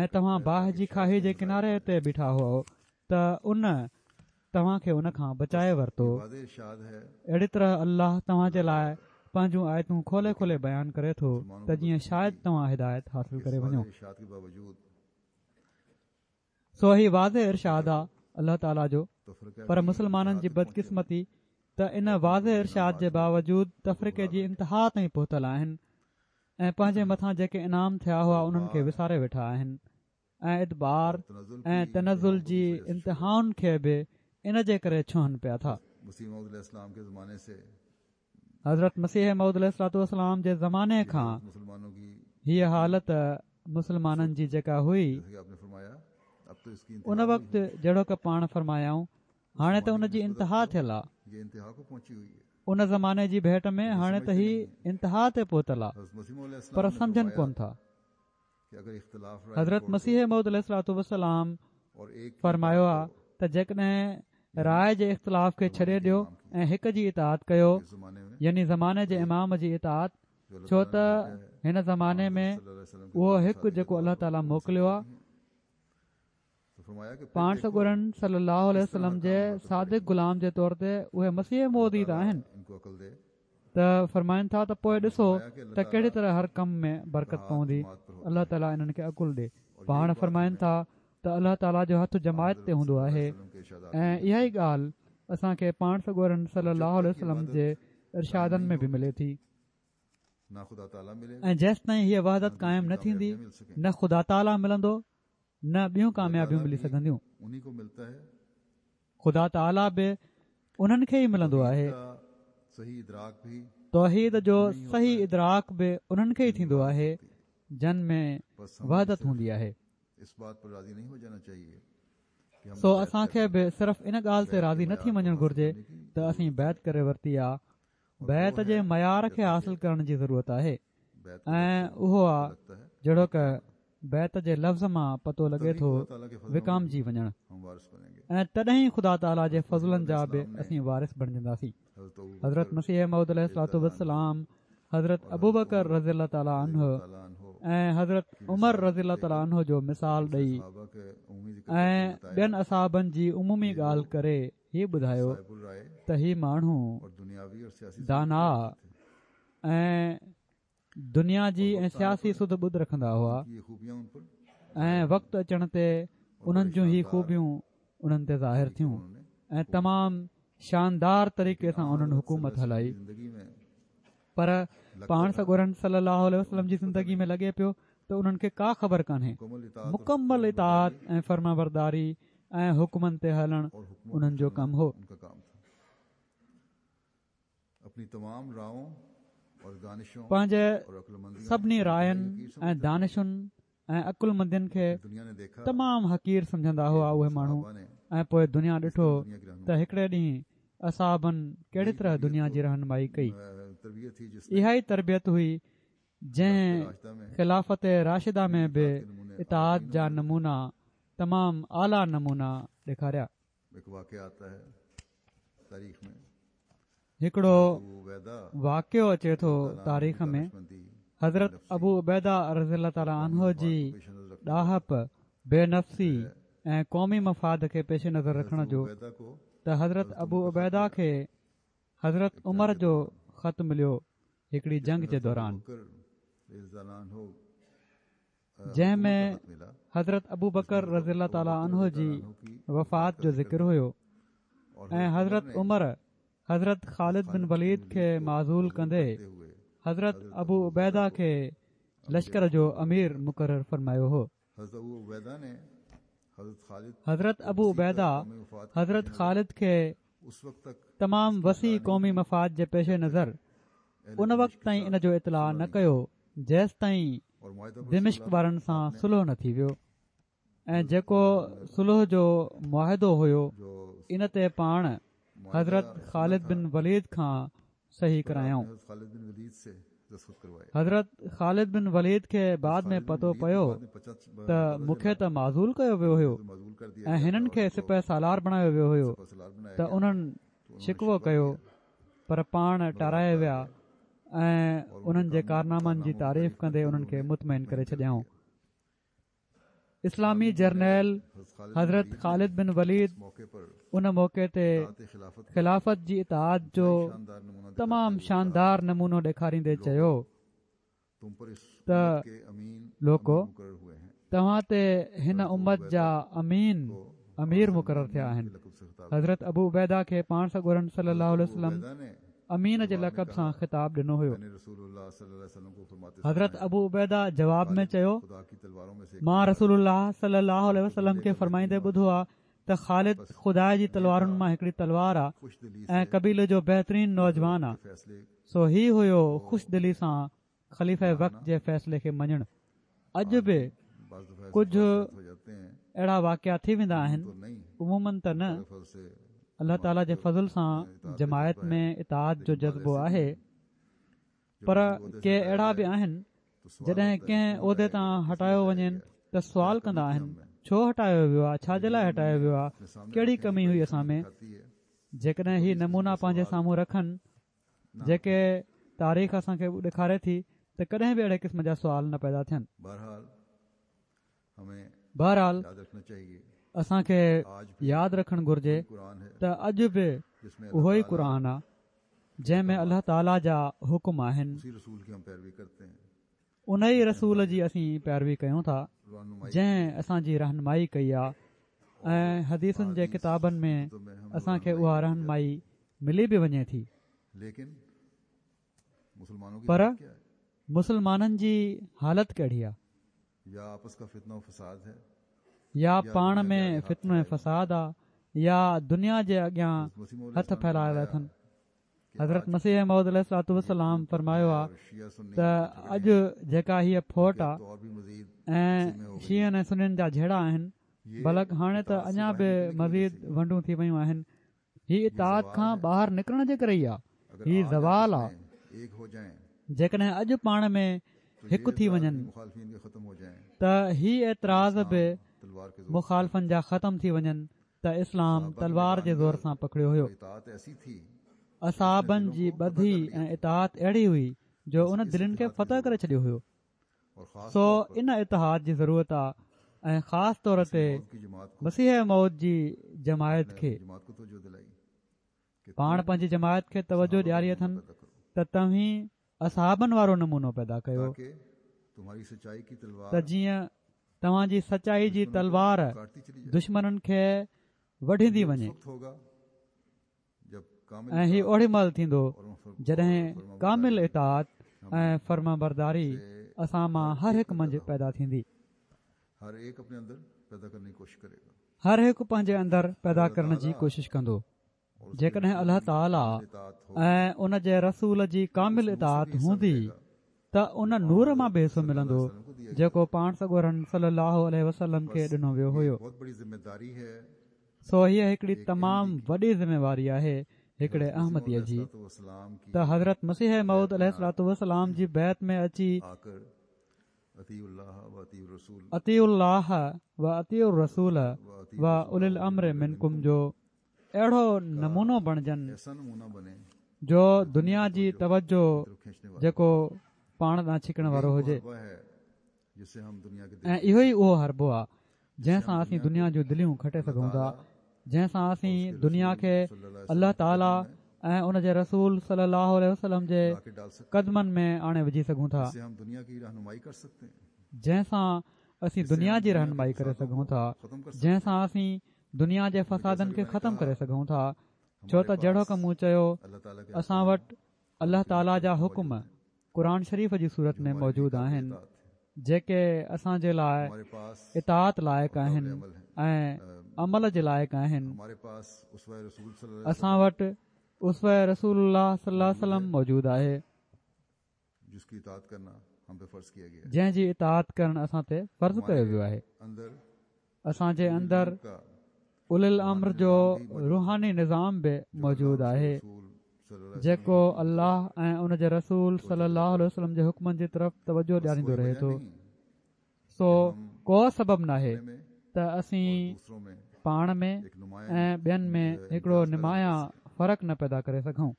۽ توهان باهه جي کاهي جي ڪناري تي بيٺا هئو ته ان توهان کي ان کان بچائي ورتو. اهڙي طرح الله توهان جي لاء پنهنجون آيتون کولي کولي بيان ڪري ٿو ته جيئن شايد توهان هدايت حاصل ڪري وڃو. سو هي واضح ارشاد آ الله تعاليٰ جو پر مسلمانن جي بدقسمتي ته ان واضح ارشاد جي باوجود تفرقي جي انتها تائين پهتل آهن ۽ پنهنجي مٿان جيڪي انعام ٿيا هئا انهن کي وساري ويٺا آهن ۽ ادبار ۽ تنزل جي انتهائن کي به ان جي ڪري ڇهن پيا ٿا. حضرت مسيح موعود عليه الصلوة والسلام جي زماني کان هيء حالت مسلمانن جي جيڪا هئي ان وقت جهڙوڪ پاڻ فرمايائون هاڻي ته ان جي انتها ٿيل آ ان زماني جي ڀيٽ ۾ هاڻي ته هي انتها تي پهتل آ پر سمجهن ڪون ٿا. حضرت مسيح موعود عليه الصلوة والسلام فرمايو آ ته جيڪڏهن راء جي اختلاف کي ڇڏي ڏيو ۽ هڪ جي اطاعت ڪيو يعني زماني جي امام جي اطاعت ڇو ته هن زماني ۾ اهو هڪ جيڪو الله تعاليٰ موڪليو آ پاڻ سڳورن صلي الله عليه وسلم جي صادق غلام جي طور تي اهي مسيح موعود ئي ته آهن ته فرمائن ٿا ته پوء ڏسو ته ڪهڙي طرح هر ڪم ۾ برڪت پوندي الله تعالي انهن کي عقل ڏي پاڻ فرمائن ٿا ته الله تعالي جو هٿ جماعت تي هوندو آهي ۽ اها ئي ڳالهه اسان کي پاڻ سڳورن صلي الله عليه وسلم جي ارشادن ۾ به ملي ٿي ۽ جيستائين هيء وحدت قائم نه ٿيندي نه خدا تعالي ملندو نه ٻيون ڪاميابيون ملي سگهنديون. خدا تعاليٰ به انهن کي ئي ملندو آهي. توحيد جو صحيح ادراڪ به انهن کي ئي ٿيندو آهي جن ۾ وحدت هوندي آهي. سو اسان کي به صرف ان ڳالهه تي راضي نه ٿي وڃڻ گهرجي ته اسين بيعت ڪري ورتي آ. بيعت جي معيار کي حاصل ڪرڻ جي ضرورت آهي ۽ اهو آ جهڙوڪ بيعت جي لفظ مان پتو لڳي ٿو وڪامجي وڃڻ ۽ تڏهن ئي خدا تعاليٰ جي فضلن جا به اسين وارث بڻجنداسين. حضرت مسيح موعود عليه الصلوة والسلام حضرت ابوبڪر رضي الله تعاليٰ عنه ۽ حضرت عمر رضي الله تعاليٰ عنه جو مثال ڏئي ۽ ٻين اصحابن جي عمومي ڳالهه ڪري هي ٻڌايو ته هي ماڻهو داناء ۽ دنيا جي ۽ سياسي سڌ ٻڌ رکندا هئا ۽ وقت اچڻ تي انهن جون هي خوبيون انهن تي ظاهر ٿيون ۽ تمام شاندار طريقي سان انهن حڪومت هلائي پر پاڻ سڳورن صلي الله عليه وسلم جي زندگي ۾ لڳي پيو ته انهن کي ڪا خبر ڪانهي مڪمل اطاعت ۽ فرمانبرداري ۽ حڪمن تي هلڻ انهن جو ڪم هو. پنهنجي سڀني راين ۽ دانشن ۽ عقلمندين کي تمام حقير سمجهندا هئا اهي ماڻهو ۽ پوء دنيا ڏٺو ته هڪڙي ڏينهن اصحابن ڪهڙي طرح دنيا جي رهنمائي ڪئي. اها ئي تربيت هئي جنهن خلافت راشده ۾ به اطاعت جا نمونا تمام اعليٰ نمونا ڏيکاريا. هڪڙو واقعو اچي ٿو تاريخ ۾ حضرت ابو عبيده رضي الله تعالٰي عنه جي ڏاهپ، بي نفسي ۽ قومي مفاد کي پيش نظر رکڻ جو ته حضرت ابو عبيده کي حضرت عمر جو خط مليو هڪڙي جنگ جي دوران. جنهن ۾ حضرت ابوبڪر رضي الله تعالٰي عنه جي وفات جو ذڪر هيو ۽ حضرت عمر حضرت خالد بن وليد کي معزول ڪندي حضرت ابو عبيده کي لشڪر جو امير مقرر فرمايو هو. حضرت ابو عبيده حضرت خالد کي تمام وسيع قومي مفاد جي پيش نظر ان وقت تائين ان جو اطلاع نه ڪيو جيستائين دمشق وارن سان صلح نه ٿي ويو. ۽ جيڪو صلح جو معاهدو هيو ان تي پاڻ حضرت خالد بن وليد کان صحيح ڪرايائون. حضرت خالد بن وليد کي بعد ۾ پتو پيو ته مون کي ته معزول ڪيو ويو هيو ۽ هنن کي سپهه سالار بڻايو ويو هيو ته انهن شڪوو ڪيو پر پاڻ ٽارائي ويا ۽ انهن جي ڪارنامن جي تعريف ڪندي انهن کي مطمئن ڪري ڇڏيائون. اسلامي جرنيل حضرت خالد بن وليد ان موقعي تي خلافت جي اطاعت جو تمام شاندار نمونو ڏيکاريندي چيو ته لوڪو توهان تي هن امت جا امين امير مقرر ٿيا آهن حضرت ابو عبيده کي پاڻ سڳورن صلي الله عليه وسلم امين جي لقب سان خطاب ڏنو هيو. حضرت ابو عبيده جواب ۾ چيو، مان رسول الله صلي الله عليه وسلم کي فرمائيندي ٻڌو آ ته خالد خدا جي تلوارن مان هڪڙي تلوار آ ۽ قبيلي جو بهترين نوجوان آ سو هي هيو خوش دلي سان خليفه وقت جي فيصلي کي مڃڻ. اڄ به ڪجهه اهڙا واقعا ٿي ويندا آهن، عموماً ته نه، الله تعاليٰ جي فضل سان جماعت ۾ اطاعت جو جذبو آهي، پر ڪي اهڙا به آهن جڏهن ڪنهن عهدي تان هٽايو وڃين ته سوال ڪندا آهن، ڇو هٽايو ويو آهي، ڇا جي لاء هٽايو ويو آهي، ڪهڙي ڪمي هئي اسان ۾؟ جيڪڏهن هي نمونا پنهنجي سامهون رکن جيڪي تاريخ اسان کي ڏيکاري ٿي ته ڪڏهن به اهڙي قسم جا سوال نه پيدا ٿين. بهرحال اسان کي ياد رکڻ گهرجي ته اڄ به اهو ئي قرآن آ جنهن ۾ الله تعاليٰ جا حڪم آهن. ان ئي رسول جي اسين پيروي ڪيون ٿا جنهن اسان جي رهنمائي ڪئي آ ۽ حديثن جي ڪتابن ۾ اسان کي اها رهنمائي ملي به وڃي ٿي پر مسلمانن جي حالت ڪهڙي آ يا پاڻ ۾ فتنو ۽ فساد آ يا دنيا جي اڳيان هٿ ڦهلايل اٿن حضرت مسيح موعود عليه الصلوة والسلام فرمايو آ ته اڄ جيڪا هيء ڦوٽ آ ۽ شيعن ۽ سنين جا جهيڙا آهن بلڪ هاڻي ته اڃا به مزيد ونڊون ٿي ويون آهن هي اطاعت کان ٻاهر نڪرڻ جي ڪري ئي آ هي زوال آ جيڪڏهن اڄ پاڻ ۾ هڪ ٿي وڃن ته هي اعتراض به مخالفن جا ختم ٿي وڃن ته اسلام تلوار جي زور سان پکڙيو هيو. اصحابن جي ٻڌي ۽ اطاعت اهڙي هئي جو ان دلين کي فتح ڪري ڇڏيو هيو. سو ان اتحاد جي ضرورت آ ۽ خاص طور تي مسيح موعود جي جماعت کي. پاڻ پنهنجي جماعت کي توجه ڏياري اٿن ته توهين اصحابن وارو نمونو پيدا ڪيو ته جيئن توهان جي سچائي جي تلوار دشمنن کي وڍيندي وڃي ۽ هي اوڏي مهل ٿيندو جڏهن ڪامل اطاعت ۽ فرمانبرداري اسان مان هر هڪ منجهه پيدا ٿيندي. هر هڪ پنهنجي اندر پيدا ڪرڻ جي ڪوشش ڪندو. جيڪڏهن الله تعاليٰ ۽ ان جي رسول جي ڪامل اطاعت هوندي ته ان نور مان به حصو ملندو جيڪو پاڻ سڳورن صلي الله عليه وسلم کي ڏنو ويو هيو. سو هيء هڪڙي تمام وڏي ذميواري آهي هڪڙي احمديء جي ته حضرت مسيح موعود عليه الصلوة والسلام جي بيعت ۾ اچي اطيعوا الله و اطيعوا الرسول و اولي الامر منڪم جو اهڙو نمونو بڻجن جو دنيا جي توجه جيڪو پاڻ ڏانهن ڇڪڻ وارو هجي ۽ اهو ئي اهو حربو آهي جنهن سان اسين دنيا جون دليون کٽي سگهون ٿا جنهن سان اسين دنيا کي الله تعالي ۽ ان جي رسول صلي الله عليه وسلم جي قدمن ۾ آڻي وجهي سگهون ٿا جنهن سان اسين دنيا جي رهنمائي ڪري سگهون ٿا جنهن سان اسين دنيا جي فسادن کي ختم ڪري سگهون ٿا ڇو ته جهڙوڪ مون چيو اسان وٽ الله تعالي جا حڪم قرآن شريف جي صورت ۾ موجود آهن جيڪي اسان جي لاء اطاعت لائق آهن ۽ عمل جي لائق آهن اسان وٽ اسوه رسول الله صلي الله عليه وسلم موجود آهي جنهن جي اطاعت ڪرڻ اسان تي فرض ڪيو ويو آهي. اسان جي اندر اولي الامر جو روحاني نظام به موجود آهي جيڪو الله ۽ ان جي رسول صلي الله عليه وسلم جي حڪمن جي طرف توجه ڏياريندو رهي ٿو. سو ڪو سبب ناهي ته اسين پاڻ ۾ ۽ ٻين ۾ هڪڙو نمايان فرق نه پيدا ڪري سگهون.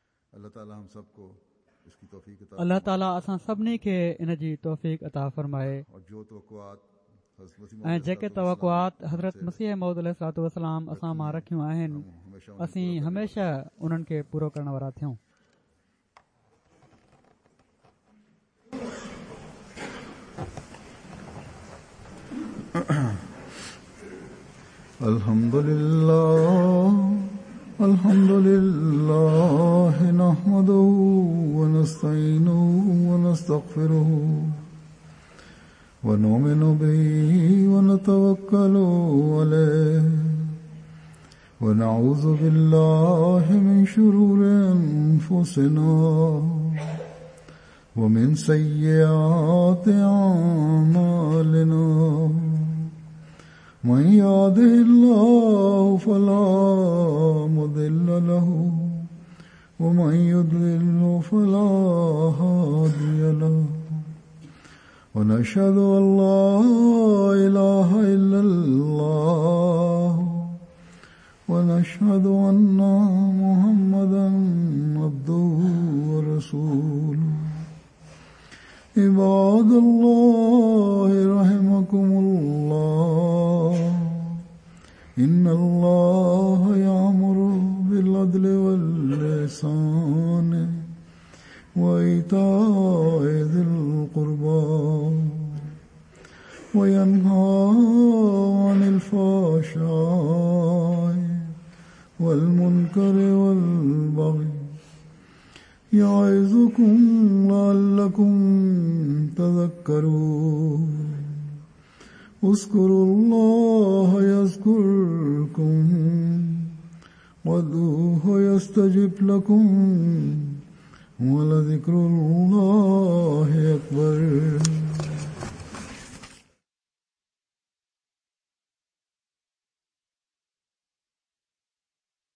الله تعالي اسان سڀني کي ان جي توفيق عطا فرمائي ۽ جيڪي توقعات حضرت مسيح موعود عليه الصلوة والسلام اسان مان رکيون آهن اسين هميشه انهن کي پورو ڪرڻ وارا ٿيون. الحمد لله الحمد لله نحمده ونستعينه ونستغفره ونؤمن به ونتوكل عليه ونعوذ بالله من شرور أنفسنا ومن سيئات أعمالنا من يهده الله فلا مضل له ومن يضلل فلا هادي له ونشهد أن لا إله إلا الله ونشهد أن محمدا عبده ورسوله عباد الله رحمكم الله إن الله يأمر بالعدل واللسان وإيتاء ذي القربى وينهى عن الفحشاء والمنكر والبغي يعظكم لعلكم تذكرون اذكروا الله يذكركم وادعوه يستجب لكم ولذكر الله أكبر.